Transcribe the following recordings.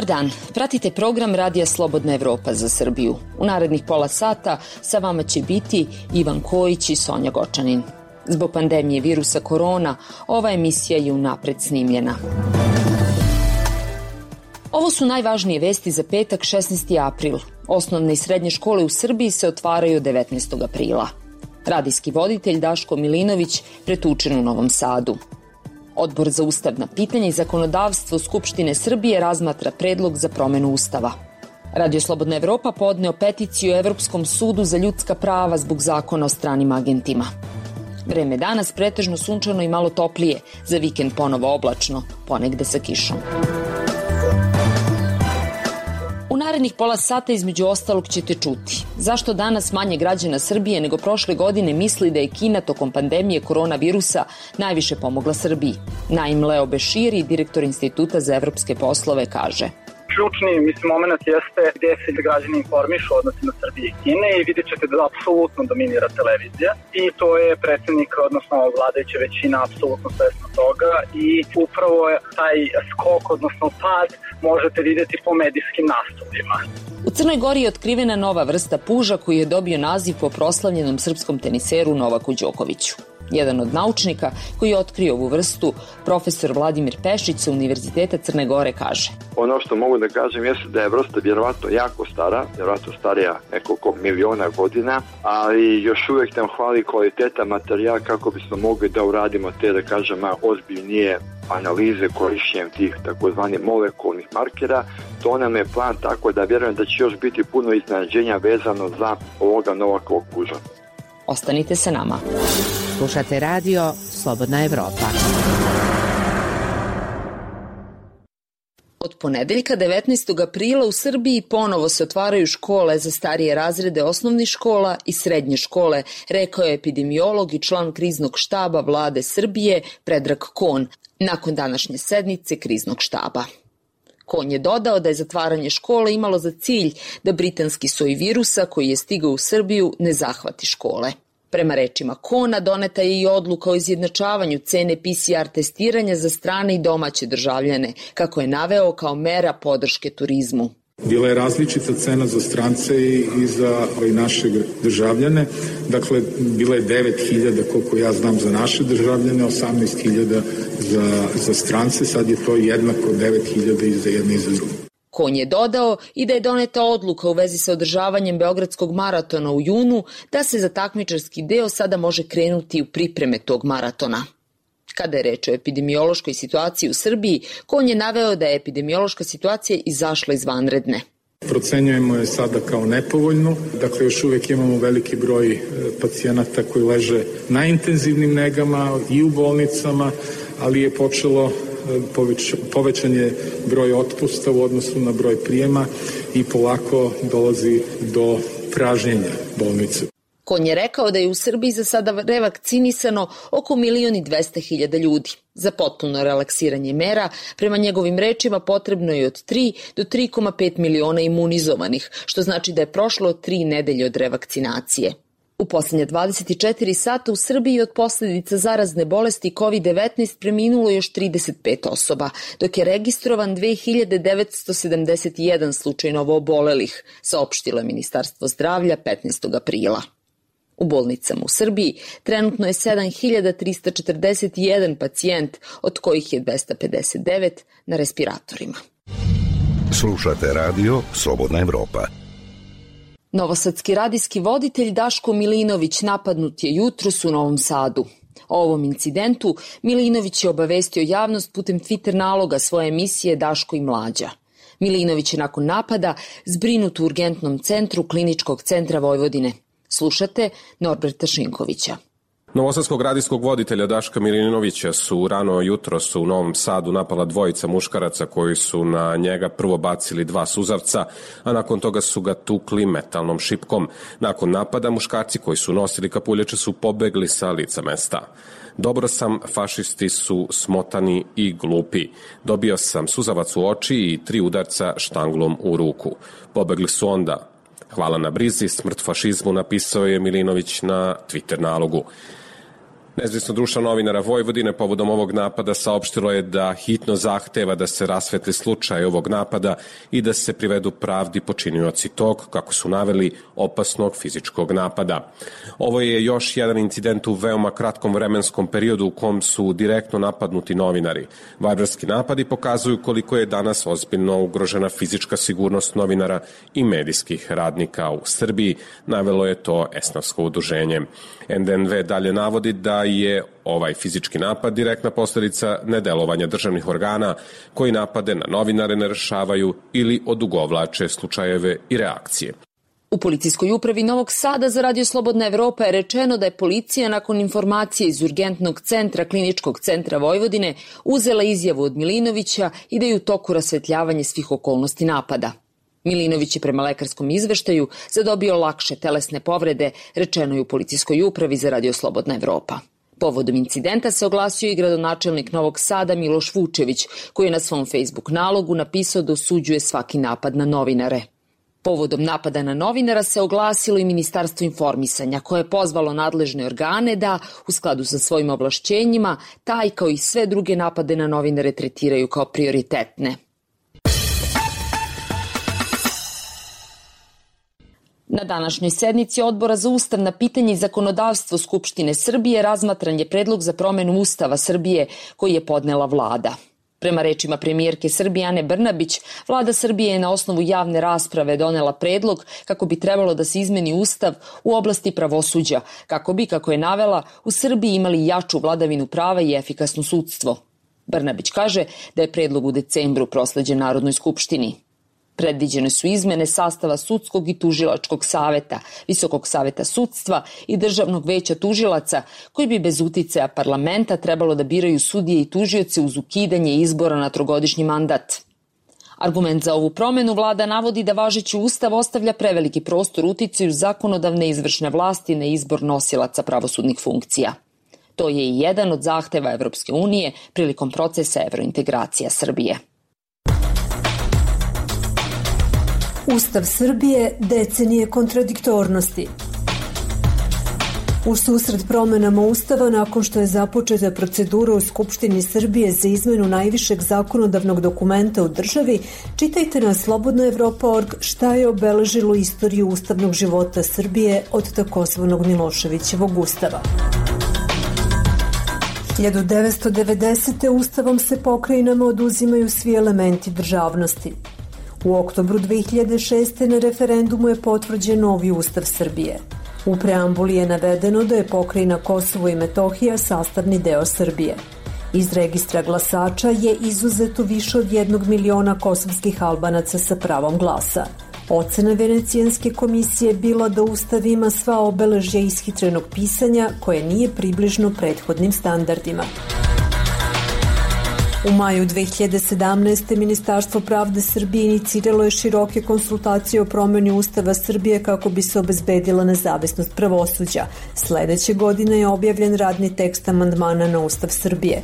dan, pratite program Radija Slobodna Evropa za Srbiju. U narednih pola sata sa vama će biti Ivan Kojić i Sonja Gočanin. Zbog pandemije virusa korona, ova emisija je unapred snimljena. Ovo su najvažnije vesti za petak 16. april. Osnovne i srednje škole u Srbiji se otvaraju 19. aprila. Radijski voditelj Daško Milinović pretučen u Novom Sadu. Odbor za ustavna pitanja i zakonodavstvo Skupštine Srbije razmatra predlog za promenu Ustava. Radio Slobodna Evropa podneo peticiju Evropskom sudu za ljudska prava zbog zakona o stranim agentima. Vreme danas pretežno sunčano i malo toplije, za vikend ponovo oblačno, ponegde sa kišom. U narednih pola sata između ostalog ćete čuti zašto danas manje građana Srbije nego prošle godine misli da je Kina tokom pandemije koronavirusa najviše pomogla Srbiji. Naim Leo Beširi, direktor Instituta za evropske poslove, kaže: Ključni moment jeste gdje se građani informišu o odnosima Srbije i Kine i vidjet ćete da apsolutno dominira televizija i to je predsjednik, odnosno vladajuća većina apsolutno svesna toga i upravo je taj skok, odnosno pad, možete vidjeti po medijskim nastupima. U Crnoj Gori je otkrivena nova vrsta puža koji je dobio naziv po proslavljenom srpskom teniseru Novaku Đokoviću. Jedan od naučnika koji je otkrio ovu vrstu, profesor Vladimir Pešić sa Univerziteta Crne Gore, kaže: Ono što mogu da kažem jeste da je vrsta vjerovatno jako stara, vjerovatno starija nekoliko miliona godina, ali još uvijek nam hvali kvaliteta materijala kako bismo mogli da uradimo te, da kažem, ozbiljnije analize korišćenjem tih takozvanih molekulnih markera. To nam je plan, tako da vjerujem da će još biti puno iznenađenja vezano za ovoga Novakovog puža. Ostanite sa nama. Slušate radio Slobodna Evropa. Od ponedeljka 19. aprila u Srbiji ponovo se otvaraju škole za starije razrede osnovnih škola i srednje škole, rekao je epidemiolog i član kriznog štaba Vlade Srbije Predrag Kon nakon današnje sednice kriznog štaba. Kon je dodao da je zatvaranje škole imalo za cilj da britanski soj virusa koji je stigao u Srbiju ne zahvati škole. Prema rečima Kona, doneta je i odluka o izjednačavanju cene PCR testiranja za strane i domaće državljane, kako je naveo kao mera podrške turizmu. Bila je različita cena za strance i za naše državljane. Dakle, bila je 9.000, koliko ja znam, za naše državljane, 18.000 za strance. Sad je to jednako 9.000 i za jedne i za druge. Kon je dodao i da je doneta odluka u vezi sa održavanjem Beogradskog maratona u junu, da se za takmičarski deo sada može krenuti u pripreme tog maratona. Kada je reč o epidemiološkoj situaciji u Srbiji, Kon je naveo da je epidemiološka situacija izašla iz vanredne. Procenjujemo je sada kao nepovoljnu, dakle još uvijek imamo veliki broj pacijenata koji leže na intenzivnim negama i u bolnicama, ali je počelo povećan je broj otpusta u odnosu na broj prijema i polako dolazi do pražnjenja bolnice. Kon je rekao da je u Srbiji za sada revakcinisano oko 1.200.000 ljudi. Za potpuno relaksiranje mera, prema njegovim rečima, potrebno je od 3 do 3,5 miliona imunizovanih, što znači da je prošlo 3 nedelje od revakcinacije. U posljednje 24 sata u Srbiji od posljedica zarazne bolesti COVID-19 preminulo još 35 osoba, dok je registrovan 2.971 slučaj novoobolelih, saopštilo je Ministarstvo zdravlja 15. aprila. U bolnicama u Srbiji trenutno je 7.341 pacijent, od kojih je 259 na respiratorima. Slušate radio Slobodna Evropa. Novosadski radijski voditelj Daško Milinović napadnut je jutros u Novom Sadu. O ovom incidentu Milinović je obavestio javnost putem Twitter naloga svoje emisije Daško i Mlađa. Milinović je nakon napada zbrinut u urgentnom centru Kliničkog centra Vojvodine. Slušate Norberta Šinkovića. Novosadskog radijskog voditelja Daška Milinovića su rano jutros u Novom Sadu napala dvojica muškaraca koji su na njega prvo bacili 2 suzavca, a nakon toga su ga tukli metalnom šipkom. Nakon napada muškarci koji su nosili kapuljače su pobegli sa lica mesta. Dobro sam, fašisti su smotani i glupi. Dobio sam suzavac u oči i 3 udarca štanglom u ruku. Pobegli su onda. Hvala na brizi, smrt fašizmu, napisao je Milinović na Twitter nalogu. Nezavisno društvo novinara Vojvodine povodom ovog napada saopštilo je da hitno zahteva da se rasvetli slučaj ovog napada i da se privedu pravdi počinioci tog, kako su naveli, opasnog fizičkog napada. Ovo je još jedan incident u veoma kratkom vremenskom periodu u kom su direktno napadnuti novinari. Barbarski napadi pokazuju koliko je danas ozbiljno ugrožena fizička sigurnost novinara i medijskih radnika u Srbiji, navelo je to esnafsko udruženje. NDNV dalje navodi da je ovaj fizički napad direktna posledica nedelovanja državnih organa koji napade na novinare ne rešavaju ili odugovlače slučajeve i reakcije. U policijskoj upravi Novog Sada za Radio Slobodna Evropa je rečeno da je policija nakon informacije iz urgentnog centra Kliničkog centra Vojvodine uzela izjavu od Milinovića i da je u toku rasvetljavanje svih okolnosti napada. Milinović je prema lekarskom izveštaju zadobio lakše telesne povrede, rečeno je u policijskoj upravi za Radio Slobodna Evropa. Povodom incidenta se oglasio i gradonačelnik Novog Sada Miloš Vučević, koji je na svom Facebook nalogu napisao da osuđuje svaki napad na novinare. Povodom napada na novinara se oglasilo i Ministarstvo informisanja, koje je pozvalo nadležne organe da, u skladu sa svojim ovlašćenjima, taj kao i sve druge napade na novinare tretiraju kao prioritetne. Na današnjoj sednici Odbora za ustavna pitanja i zakonodavstvo Skupštine Srbije razmatran je predlog za promenu Ustava Srbije koji je podnela vlada. Prema rečima premijerke Srbije Ane Brnabić, vlada Srbije je na osnovu javne rasprave donela predlog kako bi trebalo da se izmeni Ustav u oblasti pravosuđa, kako bi, kako je navela, u Srbiji imali jaču vladavinu prava i efikasno sudstvo. Brnabić kaže da je predlog u decembru prosleđen Narodnoj skupštini. Predviđene su izmene sastava sudskog i tužilačkog saveta, Visokog saveta sudstva i Državnog veća tužilaca, koji bi bez uticaja parlamenta trebalo da biraju sudije i tužioce uz ukidanje izbora na trogodišnji mandat. Argument za ovu promenu vlada navodi da važeći ustav ostavlja preveliki prostor uticaju zakonodavne i izvršne vlasti na izbor nosilaca pravosudnih funkcija. To je i jedan od zahteva Evropske unije prilikom procesa evrointegracija Srbije. Ustav Srbije decenije kontradiktornosti. U susret promenama Ustava, nakon što je započeta procedura u Skupštini Srbije za izmenu najvišeg zakonodavnog dokumenta u državi, čitajte na slobodnaevropa.org šta je obeležilo istoriju ustavnog života Srbije od takozvanog Miloševićevog ustava. 1990. Ustavom se pokrajinama oduzimaju svi elementi državnosti. U oktobru 2006. na referendumu je potvrđen novi Ustav Srbije. U preambuli je navedeno da je pokrajina Kosovo i Metohija sastavni deo Srbije. Iz registra glasača je izuzeto više od 1 miliona kosovskih Albanaca sa pravom glasa. Ocena Venecijanske komisije je bila da Ustav ima sva obeležja ishitrenog pisanja koje nije približno prethodnim standardima. U maju 2017. Ministarstvo pravde Srbije iniciralo je široke konsultacije o promeni Ustava Srbije kako bi se obezbedila nezavisnost pravosuđa. Sledeće godine je objavljen radni tekst amandmana na Ustav Srbije.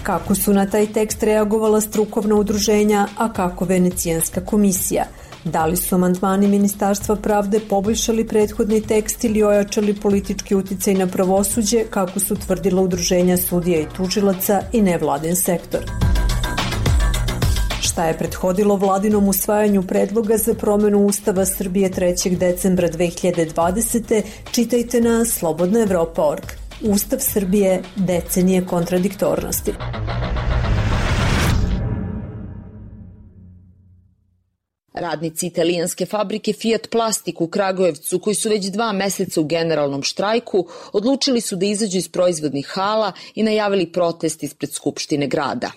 Kako su na taj tekst reagovala strukovna udruženja, a kako Venecijanska komisija? Da li su amandmani Ministarstva pravde poboljšali prethodni tekst ili ojačali politički uticaj na pravosuđe, kako su tvrdila udruženja sudija i tužilaca i nevladin sektor? Šta je prethodilo vladinom usvajanju predloga za promenu Ustava Srbije 3. decembra 2020. Čitajte na slobodnaevropa.org. Ustav Srbije decenije kontradiktornosti. Radnici italijanske fabrike Fiat Plastik u Kragujevcu, koji su već 2 meseca u generalnom štrajku, odlučili su da izađu iz proizvodnih hala i najavili protest ispred Skupštine grada.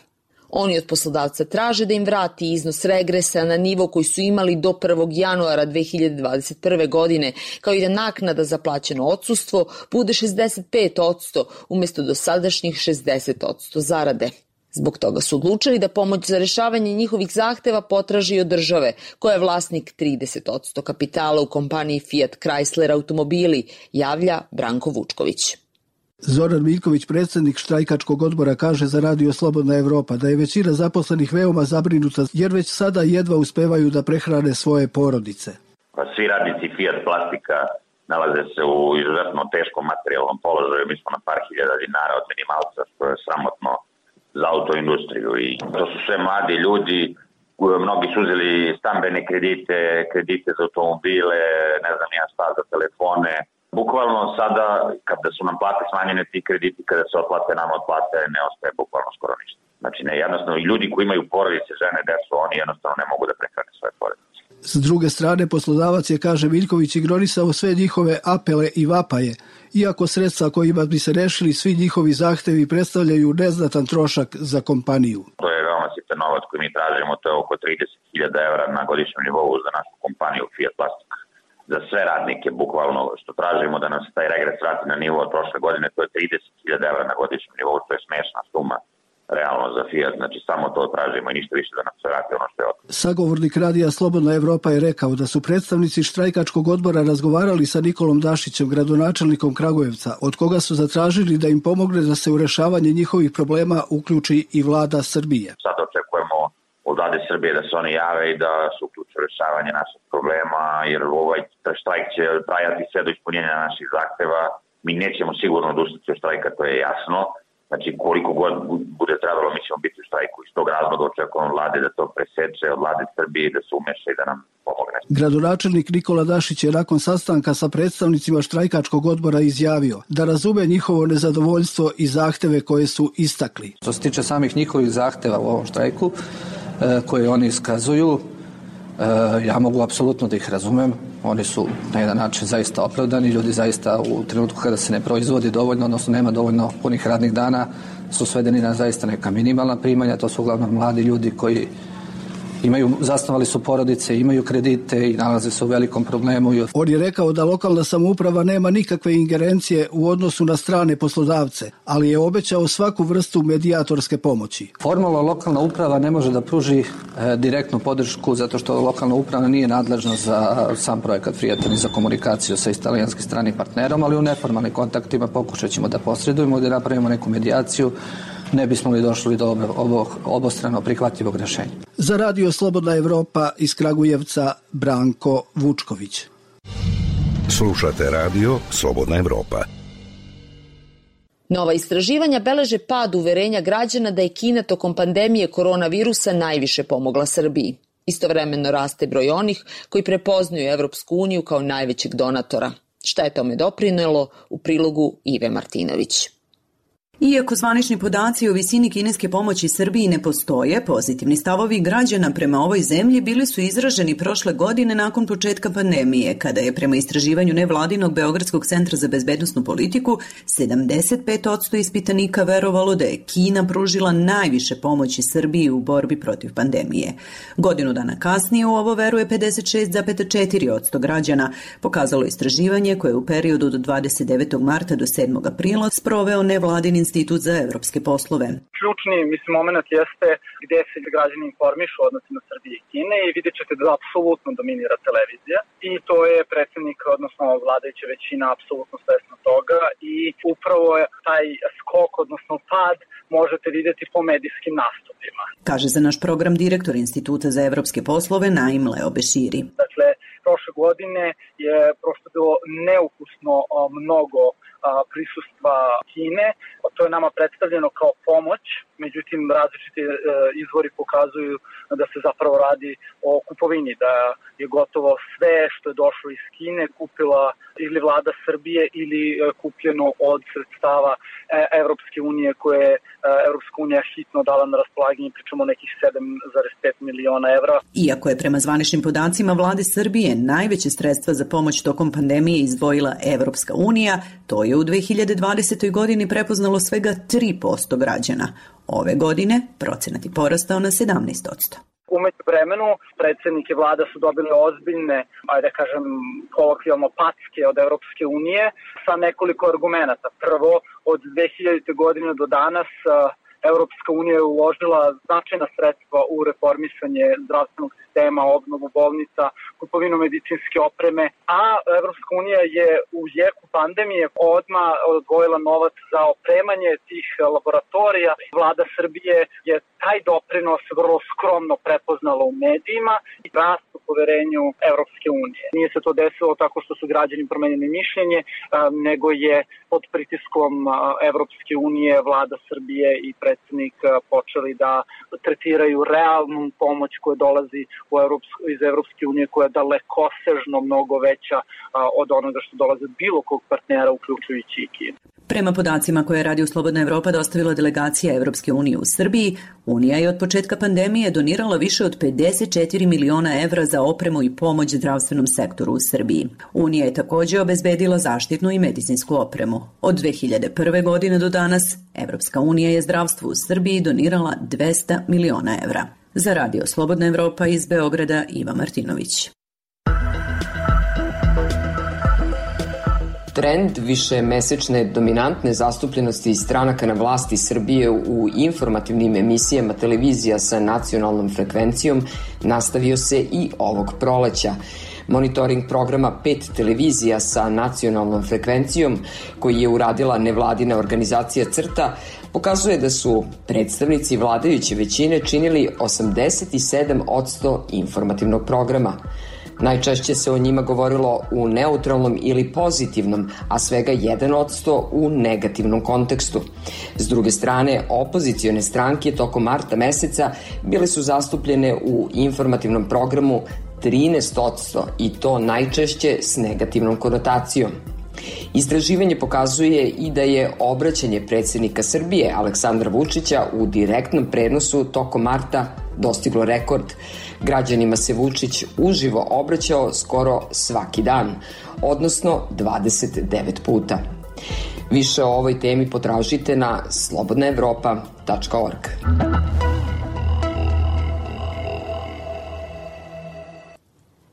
Oni od poslodavca traže da im vrati iznos regresa na nivo koji su imali do 1. januara 2021. godine, kao i da naknada za plaćeno odsustvo bude 65% umesto dosadašnjih 60% zarade. Zbog toga su odlučili da pomoć za rešavanje njihovih zahteva potraži od države, koja je vlasnik 30% kapitala u kompaniji Fiat Chrysler automobili, javlja Branko Vučković. Zoran Miljković, predsjednik štrajkačkog odbora, kaže za Radio Slobodna Evropa da je većina zaposlenih veoma zabrinuta jer već sada jedva uspevaju da prehrane svoje porodice. Svi radnici Fiat Plastika nalaze se u izuzetno teškom materijalnom položaju. Mi smo na par hiljada dinara od minimalca, što je sramotno za autoindustriju. I to su sve mladi ljudi, mnogi su uzeli stambene kredite za automobile, ne znam ja šta, za telefone. Bukvalno sada, kada su nam plate smanjene, ti krediti kada se otplate, nam otplate, ne ostaje bukvalno skoro ništa. Znači, jednostavno, i ljudi koji imaju porodice, žene, decu, oni jednostavno ne mogu da prehrane svoje porodice. S druge strane, poslodavac je, kaže Miljković, ignorisao sve njihove apele i vapaje, iako sredstva kojima bi se rešili svi njihovi zahtevi predstavljaju neznatan trošak za kompaniju. To je veoma sitan novac koji mi tražimo, to je oko 30.000 evra na godišnjem nivou za našu kompaniju Fiat Plastik. Za sve radnike, bukvalno, što tražimo da nas taj regres vrati na nivo od prošle godine, to je 30.000 evra na godišnjem nivou, to je smešna suma realno za Fiat, znači samo to tražimo i ništa više da nam se vrati ono što je od. Sagovornik radija Slobodna Evropa je rekao da su predstavnici štrajkačkog odbora razgovarali sa Nikolom Dašićem, gradonačelnikom Kragujevca, od koga su zatražili da im pomogne da se u rešavanje njihovih problema uključi i vlada Srbije. Sad očekujemo od vlade Srbije da se oni jave i da se uključe u rešavanje naših problema, jer ovaj štrajk će trajati sve do ispunjenja naših zahteva. Mi nećemo sigurno odustati od štrajka, to je jasno. Znači, koliko god bude trebalo, mi ćemo biti u štrajku. Iz tog razloga očekujemo od vlade da to preseče, od vlade Srbije da se umeša i da nam pomogne. Gradonačelnik Nikola Dašić je nakon sastanka sa predstavnicima štrajkačkog odbora izjavio da razume njihovo nezadovoljstvo i zahteve koje su istakli. Što se tiče samih njihovih zahteva u ovom štrajku, koje oni iskazuju, ja mogu apsolutno da ih razumem. Oni su na jedan način zaista opravdani. Ljudi zaista u trenutku kada se ne proizvodi dovoljno, odnosno nema dovoljno punih radnih dana, su svedeni na zaista neka minimalna primanja. To su uglavnom mladi ljudi koji zasnovali su porodice, imaju kredite i nalaze se u velikom problemu. On je rekao da lokalna samouprava nema nikakve ingerencije u odnosu na strane poslodavce, ali je obećao svaku vrstu medijatorske pomoći. Formalno lokalna uprava ne može da pruži direktnu podršku zato što lokalna uprava nije nadležna za sam projekat Fijata ni za komunikaciju sa italijanskim stranim partnerom, ali u neformalnim kontaktima pokušat ćemo da posredujemo, da napravimo neku medijaciju, ne bismo li došli do obostrano prihvatljivog rešenja. Za radio Slobodna Evropa iz Kragujevca, Branko Vučković. Slušate radio Slobodna Evropa. Nova istraživanja beleže pad uverenja građana da je Kina tokom pandemije koronavirusa najviše pomogla Srbiji. Istovremeno raste broj onih koji prepoznaju Evropsku uniju kao najvećeg donatora. Šta je tome doprinelo, u prilogu Ive Martinović. Iako zvanični podaci o visini kineske pomoći Srbiji ne postoje, pozitivni stavovi građana prema ovoj zemlji bili su izraženi prošle godine nakon početka pandemije, kada je prema istraživanju nevladinog Beogradskog centra za bezbednosnu politiku 75% ispitanika verovalo da je Kina pružila najviše pomoći Srbiji u borbi protiv pandemije. Godinu dana kasnije u ovo veruje 56,4% građana, pokazalo istraživanje koje je u periodu od 29. marta do 7. aprila sproveo nevladin Institut za evropske poslove. Ključni, moment jeste gde se građani informišu o odnosima Srbije i Kine i vidjet ćete da apsolutno dominira televizija i to je predsjednik, odnosno vladajuća većina apsolutno svesna toga i upravo je taj skok, odnosno pad, možete vidjeti po medijskim nastupima. Kaže za naš program direktor Instituta za evropske poslove Naim Leo Beširi. Dakle, prošle godine je prosto bilo neukusno mnogo prisustva Kine. To je nama predstavljeno kao pomoć, međutim različiti izvori pokazuju da se zapravo radi o kupovini, da je gotovo sve što je došlo iz Kine kupila ili vlada Srbije ili kupljeno od sredstava Evropske unije koje je Evropska unija hitno dala na raspolaganje, pričamo nekih 7,5 miliona evra. Iako je prema zvaničnim podacima vlade Srbije najveće sredstva za pomoć tokom pandemije izdvojila Evropska unija, to je u 2020. godini prepoznalo svega 3% građana. Ove godine procenat je porastao na 17%. Umeđu vremenu predsjednik i vlada su dobili ozbiljne, kolokvijalno packe od Evropske unije sa nekoliko argumenata. Prvo, od 2000. godine do danas Evropska unija je uložila značajna sredstva u reformisanje zdravstvenog sistema, obnovu bolnica, kupovinu medicinske opreme, a Evropska unija je u jeku pandemije odmah odvojila novac za opremanje tih laboratorija. Vlada Srbije je taj doprinos vrlo skromno prepoznala u medijima i rast u poverenju Evropske unije. Nije se to desilo tako što su građani promenili mišljenje, nego je pod pritiskom Evropske unije vlada Srbije i predsjednik počeli da tretiraju realnu pomoć koja dolazi iz Evropske unije, koja je dalekosežno mnogo veća od onoga što dolaze od bilo kog partnera, uključujući i Kinu. Prema podacima koje je Radio Slobodna Evropa dostavila delegacija Evropske unije u Srbiji, Unija je od početka pandemije donirala više od 54 miliona evra za opremu i pomoć zdravstvenom sektoru u Srbiji. Unija je također obezbedila zaštitnu i medicinsku opremu. Od 2001. godine do danas, Evropska unija je zdravstvu u Srbiji donirala 200 miliona evra. Za Radio Slobodna Evropa iz Beograda, Iva Martinović. Trend višemesečne dominantne zastupljenosti stranaka na vlasti Srbije u informativnim emisijama televizija sa nacionalnom frekvencijom nastavio se i ovog proleća. Monitoring programa 5 televizija sa nacionalnom frekvencijom, koji je uradila nevladina organizacija CRTA, pokazuje da su predstavnici vladajuće većine činili 87% informativnog programa. Najčešće se o njima govorilo u neutralnom ili pozitivnom, a svega 1% u negativnom kontekstu. S druge strane, opozicione stranke tokom marta meseca bile su zastupljene u informativnom programu 13% i to najčešće s negativnom konotacijom. Istraživanje pokazuje i da je obraćanje predsjednika Srbije Aleksandra Vučića u direktnom prenosu tokom marta dostiglo rekord. Građanima se Vučić uživo obraćao skoro svaki dan, odnosno 29 puta. Više o ovoj temi potražite na slobodnaevropa.org.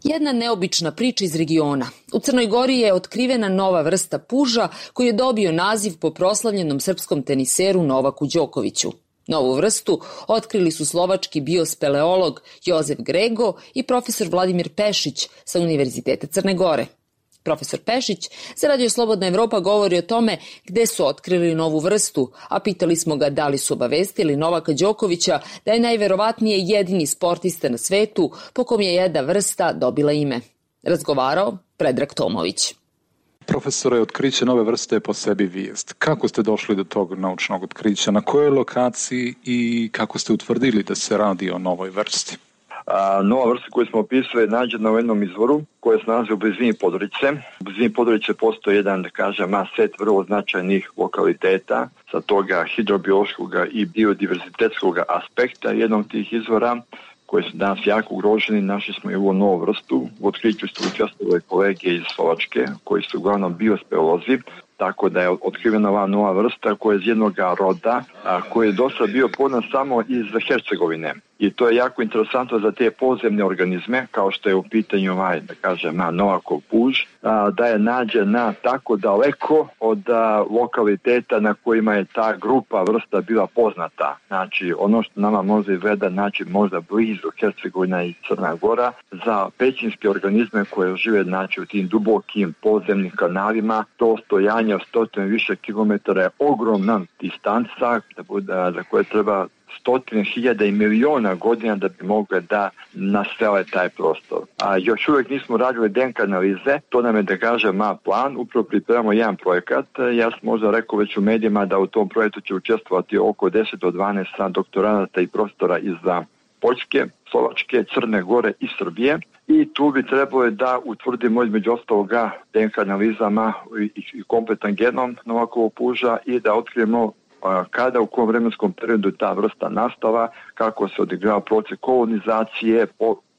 Jedna neobična priča iz regiona. U Crnoj Gori je otkrivena nova vrsta puža koji je dobio naziv po proslavljenom srpskom teniseru Novaku Đokoviću. Novu vrstu otkrili su slovački biospeleolog Jozef Grego i profesor Vladimir Pešić sa Univerziteta Crne Gore. Profesor Pešić za Radio Slobodna Evropa govori o tome gde su otkrili novu vrstu, a pitali smo ga da li su obavestili Novaka Đokovića da je najverovatnije jedini sportista na svetu po kom je jedna vrsta dobila ime. Razgovarao Predrag Tomović. Profesore, otkriće nove vrste je po sebi vijest. Kako ste došli do tog naučnog otkrića? Na kojoj lokaciji i kako ste utvrdili da se radi o novoj vrsti? Nova vrsta koju smo opisali je nađena u jednom izvoru koja se nalazi u blizini Podgorice. U blizini Podgorice postoji jedan, da kažem, set vrlo značajnih lokaliteta sa toga hidrobiološkog i biodiverzitetskog aspekta jednog tih izvora koji su danas jako ugroženi. Našli smo i ovu novu vrstu. U otkriću su učestvovali kolege iz Slovačke koji su uglavnom biospeolozi, tako da je otkrivena ova nova vrsta koja je iz jednog roda koji je dosta bio poznat samo iz Hercegovine. I to je jako interesantno za te podzemne organizme, kao što je u pitanju da kažem, Novakov puž, da je nađena tako daleko od lokaliteta na kojima je ta grupa vrsta bila poznata. Znači, ono što nama možda izgleda, znači možda blizu Hercegovina i Crna Gora, za pećinske organizme koje žive, znači, u tim dubokim podzemnim kanalima, to stojanje od 100 više kilometara je ogromna distanca za koje treba 100.000 i miliona godina da bi mogle da nasele taj prostor. Još uvijek nismo radili DNK analize, to nam je, da kažem, plan, upravo pripremamo jedan projekat. Ja sam možda rekao već u medijima da u tom projektu će učestvovati oko 10 do 12 doktoranata i profesora iz Poljske, Slovačke, Crne Gore i Srbije. I tu bi trebalo da utvrdimo između ostaloga DNK analizama i kompletan genom Novakovog puža i da otkrijemo kada, u kom vremenskom periodu ta vrsta nastala, kako se odigrava proces kolonizacije,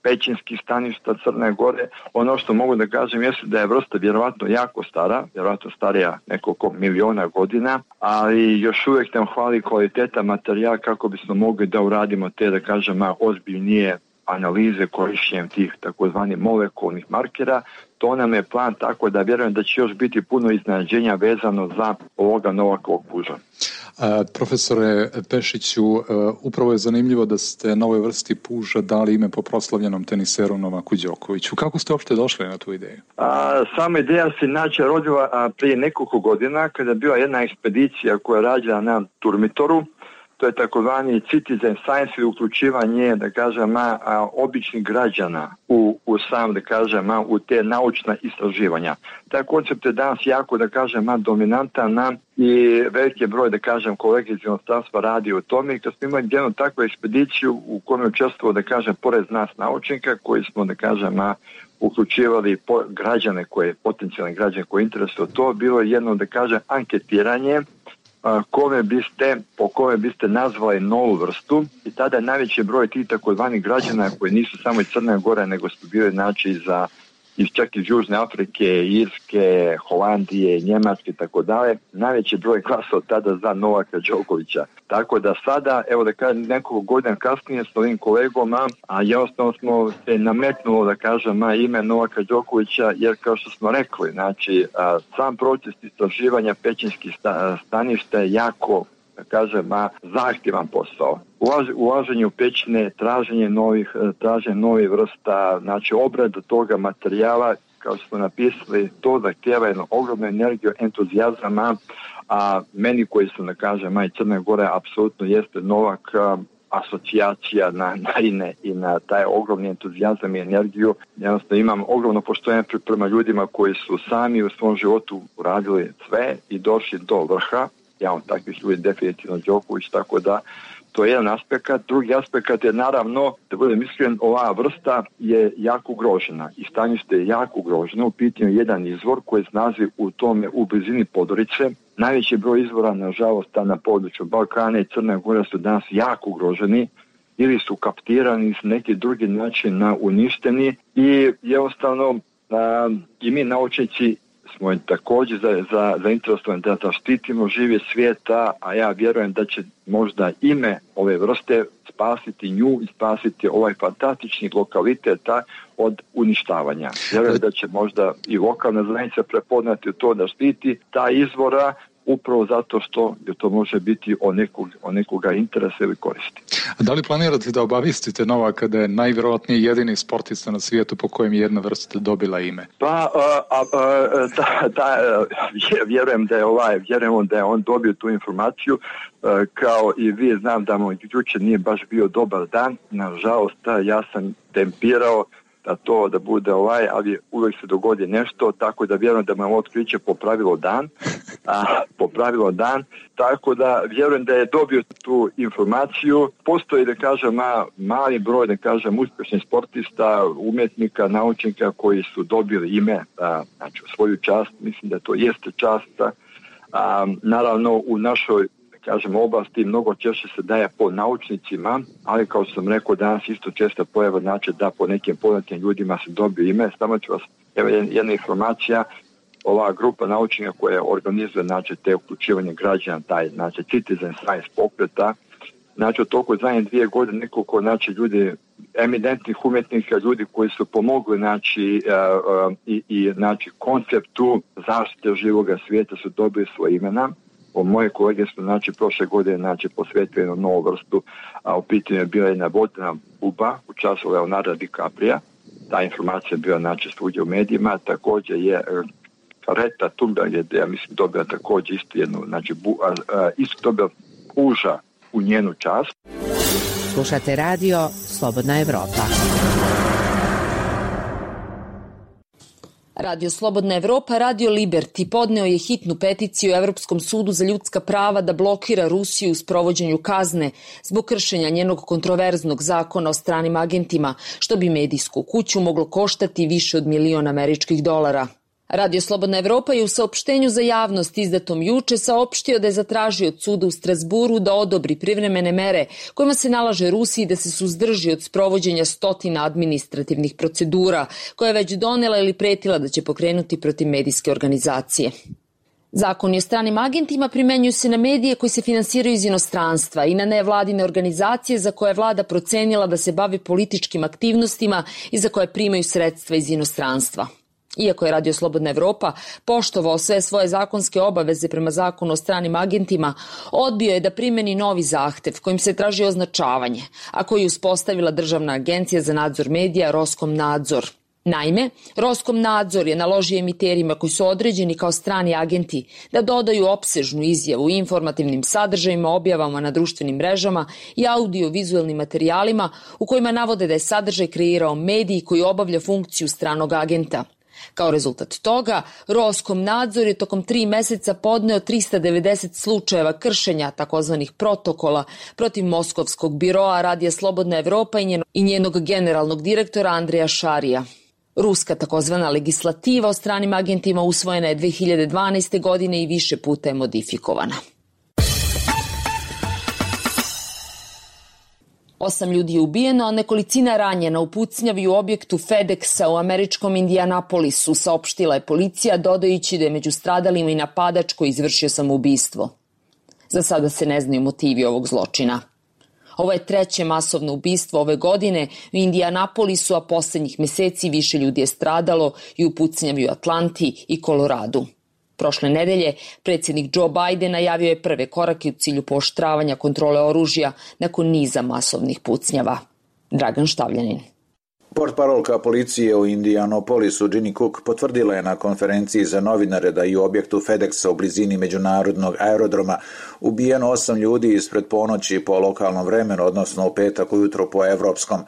pećinskih staništa Crne Gore. Ono što mogu da kažem jeste da je vrsta vjerovatno jako stara, vjerovatno starija nekoliko miliona godina, ali još uvijek nam hvali kvaliteta materijala kako bismo mogli da uradimo te, da kažem, ozbiljnije analize korišćenjem tih takozvanih molekulnih markera. To nam je plan, tako da vjerujem da će još biti puno iznenađenja vezano za ovoga Novakovog puža. Profesore Pešiću, upravo je zanimljivo da ste novoj vrsti puža dali ime po proslavljenom teniseru Novaku Đokoviću. Kako ste uopšte došli na tu ideju? Sama ideja se inače rodila prije nekoliko godina kada je bila jedna ekspedicija koja je rađena na Turmitoru. To je takozvani citizen science ili uključivanje, da kažem, običnih građana u sam, da kažem, u te naučna istraživanja. Taj koncept je danas jako, da kažem, dominantan i veliki broj, da kažem, kolege iz inostranstva radi o tome. I kad smo imali jednu takvu ekspediciju u kojoj je učestvovao, da kažem, pored nas naučnika koji smo, da kažem, uključivali građane potencijalne građane koji interesuju to, bilo je jedno, da kažem, anketiranje po kome biste nazvali novu vrstu i tada je najveći broj tih takozvanih građana koji nisu samo iz Crne Gore nego su bili znači čak iz Južne Afrike, Irske, Holandije, Njemačke i tako dalje, najveći broj glasao tada za Novaka Đokovića. Tako da sada, evo da kažem, nekoliko godina kasnije s ovim kolegom, a jednostavno smo se nametnulo, da kažem, ime Novaka Đokovića, jer kao što smo rekli, znači, sam proces istraživanja pećinskih staništa je jako, da kažem, zahtjevan posao. Ulaženje u pećine, traženje novih vrsta, znači obrada toga materijala, kao što smo napisali, to zahtjeva jednu ogromnu energiju, entuzijazama, a meni koji su, da kažem, i Crne Gore, apsolutno jeste Novak asocijacija na INE i na taj ogromni entuzijazam i energiju. Jednostavno imam ogromno poštovanje prema ljudima koji su sami u svom životu uradili sve i došli do vrha. Ja od takvih ljudi definitivno Đoković, tako da to je jedan aspekt. Drugi aspekt je naravno, da budem iskren, ova vrsta je jako ugrožena i stanište je jako ugroženo. U pitanju je jedan izvor koji se nalazi u blizini Podorice. Najveći broj izvora, nažalost, na području Balkana i Crne Gore su danas jako ugroženi ili su kaptirani s neki drugi način uništeni i jednostavno i mi naučnici smo također zainteresovani da zaštitimo življe svijeta, a ja vjerujem da će možda ime ove vrste spasiti nju i spasiti ovaj fantastični lokaliteta od uništavanja. Vjerujem da će možda i lokalna zajednica prepoznati to da štiti ta izvora upravo zato što to može biti o nekoga interesa ili koristi. A da li planirate da obavistite Novaka da je najvjerojatnije jedini sportista na svijetu po kojem je jedna vrsta dobila ime? Pa, vjerujem da je on dobio tu informaciju, kao i vi, znam da mu jučer nije baš bio dobar dan, nažalost ja sam tempirao da bude ali uvijek se dogodi nešto, tako da vjerujem da me otkriće popravilo dan, tako da vjerujem da je dobio tu informaciju. Postoji, da kažem, mali broj, da kažem, uspješnih sportista, umjetnika, naučnika koji su dobili ime, znači u svoju čast, mislim da to jeste čast. Naravno, u našoj oblasti mnogo češće se daje po naučnicima, ali kao sam rekao danas isto često pojava znači da po nekim poznatim ljudima se dobije ime. Samo ću vas, evo jedna informacija, ova grupa naučnika koja organizuje znači te uključivanje građana, taj znači citizen science pokreta, znači u toku zadnje 2 godine nekoliko znači ljudi, eminentnih umjetnika, ljudi koji su pomogli znači i znači konceptu zaštite živoga svijeta su dobili svoje imena. Moje kolege su znači prošle godine znači posvetili jednu novu vrstu, a u pitanju je bila jedna vodena buba u času Leonarda DiCaprija. Ta informacija je bila znači svugdje u medijima. Također je Greta Thunberg je, ja mislim, dobila također isto jednu, znači isto dobila puža u njenu čast. Slušate radio Slobodna Evropa. Radio Slobodna Evropa, Radio Liberty podneo je hitnu peticiju Evropskom sudu za ljudska prava da blokira Rusiju u sprovođenju kazne zbog kršenja njenog kontroverznog zakona o stranim agentima, što bi medijsku kuću moglo koštati više od $1 milion. Radio Slobodna Evropa je u saopštenju za javnost izdatom juče saopštio da je zatražio od suda u Strasburu da odobri privremene mere kojima se nalaže Rusiji da se suzdrži od sprovođenja stotina administrativnih procedura koje je već donela ili pretila da će pokrenuti protiv medijske organizacije. Zakoni o stranim agentima primenjuju se na medije koji se finansiraju iz inostranstva i na nevladine organizacije za koje je vlada procenila da se bave političkim aktivnostima i za koje primaju sredstva iz inostranstva. Iako je Radio Slobodna Evropa poštovao sve svoje zakonske obaveze prema zakonu o stranim agentima, odbio je da primeni novi zahtev kojim se traži označavanje, a koji je uspostavila Državna agencija za nadzor medija Roskomnadzor. Naime, Roskomnadzor je naložio emiterima koji su određeni kao strani agenti da dodaju opsežnu izjavu i informativnim sadržajima, objavama na društvenim mrežama i audio-vizuelnim materijalima u kojima navode da je sadržaj kreirao medij koji obavlja funkciju stranog agenta. Kao rezultat toga, Roskomnadzor je tokom 3 meseca podneo 390 slučajeva kršenja takozvanih protokola protiv Moskovskog biroa Radija Slobodna Evropa i njenog generalnog direktora Andreja Šarija. Ruska takozvana legislativa o stranim agentima usvojena je 2012. godine i više puta je modifikovana. 8 ljudi je ubijeno, a nekolicina ranjena u pucnjavi u objektu FedExa u američkom Indianapolisu, saopštila je policija, dodajući da je među stradalima i napadač koji izvršio samoubistvo. Za sada se ne znaju motivi ovog zločina. Ovo je 3. masovno ubistvo ove godine u Indianapolisu, a poslednjih meseci više ljudi je stradalo i u pucnjavi u Atlanti i Koloradu. Prošle nedelje predsjednik Joe Biden najavio je prve korake u cilju pooštravanja kontrole oružja nakon niza masovnih pucnjava. Dragan Štavljanin. Portparolka policije u Indianapolisu Ginny Cook potvrdila je na konferenciji za novinare da i u objektu FedExa u blizini međunarodnog aerodroma ubijeno 8 ljudi ispred ponoći po lokalnom vremenu, odnosno u petak ujutro po evropskom.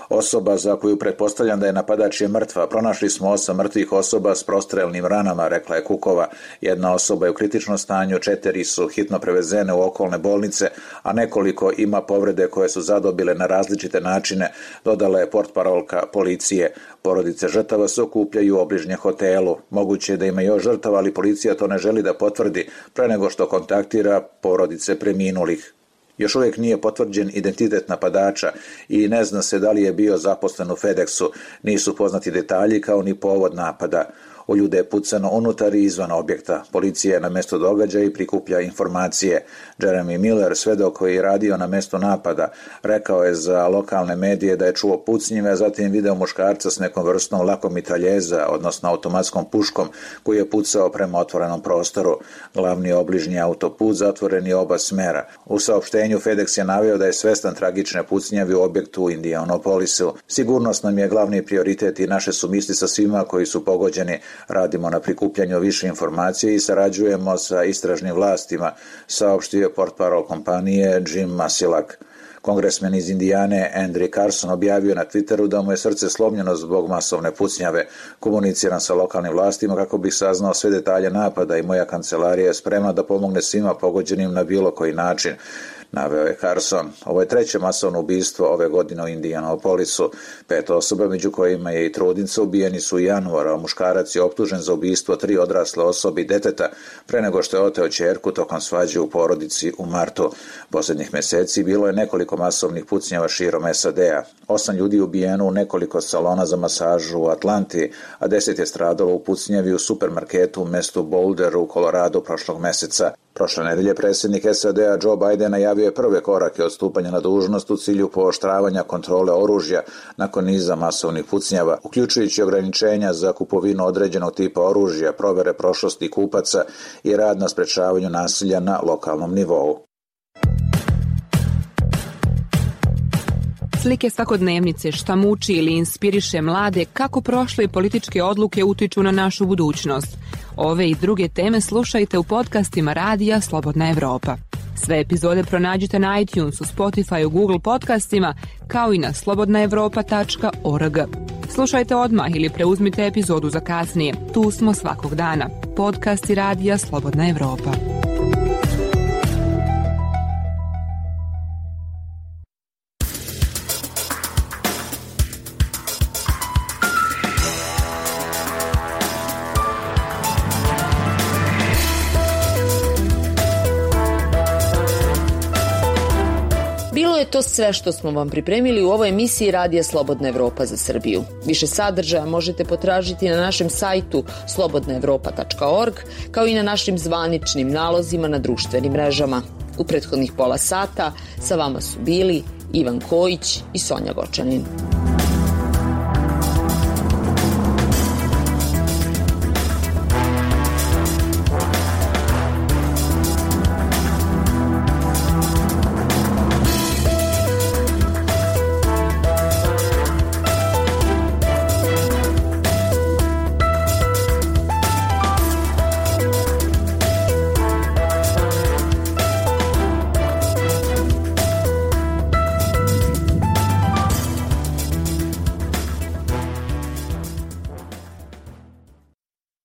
Osoba za koju pretpostavljam da je napadač je mrtva. Pronašli smo 8 mrtvih osoba s prostrelnim ranama, rekla je Cookova. Jedna osoba je u kritičnom stanju, 4 su hitno prevezene u okolne bolnice, a nekoliko ima povrede koje su zadobile na različite načine, dodala je portparolka policije. Porodice žrtava se okupljaju u obližnjem hotelu. Moguće je da ima još žrtava, ali policija to ne želi da potvrdi pre nego što kontaktira porodice preminulih. Još uvijek nije potvrđen identitet napadača i ne zna se da li je bio zaposlen u FedExu. Nisu poznati detalji kao ni povod napada. U ljude je pucano unutar i izvan objekta. Policija je na mjesto događaja i prikuplja informacije. Jeremy Miller, svedok koji je radio na mjestu napada, rekao je za lokalne medije da je čuo pucnjive, a zatim video muškarca s nekom vrstom lakomitraljeza, odnosno automatskom puškom, koji je pucao prema otvorenom prostoru. Glavni obližnji autoput zatvoren je oba smera. U saopštenju FedEx je naveo da je svestan tragične pucnjavi u objektu u Indianapolisu. Sigurnost nam je glavni prioritet i naše su misli sa svima koji su pogođeni. Radimo na prikupljanju više informacije i sarađujemo sa istražnim vlastima, saopštio portparol kompanije Jim Masilak. Kongresmen iz Indijane Andrew Carson objavio na Twitteru da mu je srce slomljeno zbog masovne pucnjave. Komuniciram sa lokalnim vlastima kako bih saznao sve detalje napada i moja kancelarija je spremna da pomogne svima pogođenim na bilo koji način, naveo je Carson. Ovo je 3. masovno ubistvo ove godine u Indianapolisu. 5 osoba, među kojima je i trudnica, ubijeni su u januaru, a muškarac je optužen za ubistvo 3 odrasle osobe i deteta pre nego što je oteo ćerku tokom svađe u porodici u martu. Posljednjih meseci bilo je nekoliko masovnih pucnjava širom SAD-a. 8 ljudi ubijeno u nekoliko salona za masažu u Atlanti, a 10 je stradalo u pucnjavi u supermarketu u mestu Boulder u Koloradu prošlog meseca. Prošle nedelje predsjednik SAD-a Joe Biden najavio je prve korake od stupanja na dužnost u cilju pooštravanja kontrole oružja nakon niza masovnih pucnjava, uključujući ograničenja za kupovinu određenog tipa oružja, provere prošlosti kupaca i rad na sprečavanju nasilja na lokalnom nivou. Slike svakodnevnice, šta muči ili inspiriše mlade, kako prošle političke odluke utiču na našu budućnost. Ove i druge teme slušajte u podcastima Radija Slobodna Evropa. Sve epizode pronađite na iTunesu, Spotifyu, Google podcastima, kao i na slobodnaevropa.org. Slušajte odmah ili preuzmite epizodu za kasnije. Tu smo svakog dana. Podcasti Radija Slobodna Evropa. To sve što smo vam pripremili u ovoj emisiji Radija Slobodna Evropa za Srbiju. Više sadržaja možete potražiti na našem sajtu slobodnaevropa.org, kao i na našim zvaničnim nalozima na društvenim mrežama. U prethodnih pola sata sa vama su bili Ivan Kojić i Sonja Gočanin.